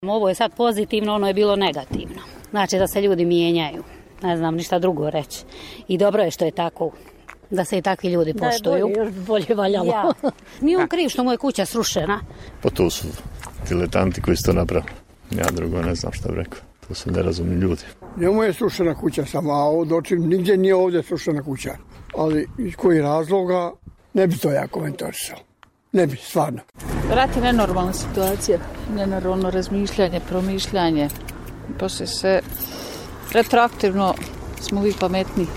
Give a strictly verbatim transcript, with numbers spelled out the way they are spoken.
Ovo je sad pozitivno, ono je bilo negativno. Znači da se ljudi mijenjaju. Ne znam ništa drugo reći. I dobro je što je tako. Da se i takvi ljudi poštuju. Da je bolje, još bolje valjalo. Ja. Nije on kriv što mu je kuća srušena. Pa to su diletanti koji su to napravili. Ja drugo ne znam šta bi rekao. To su nerazumni ljudi. Njemu je srušena kuća samo, a od očim nigdje nije ovdje srušena kuća. Ali iz kojih razloga ne bi to ja komentarisao. Ne bi, stvarno. Rat je nenormalna situacija, nenormalno razmišljanje, promišljanje. Poslije se retroaktivno smo uvijek pametni.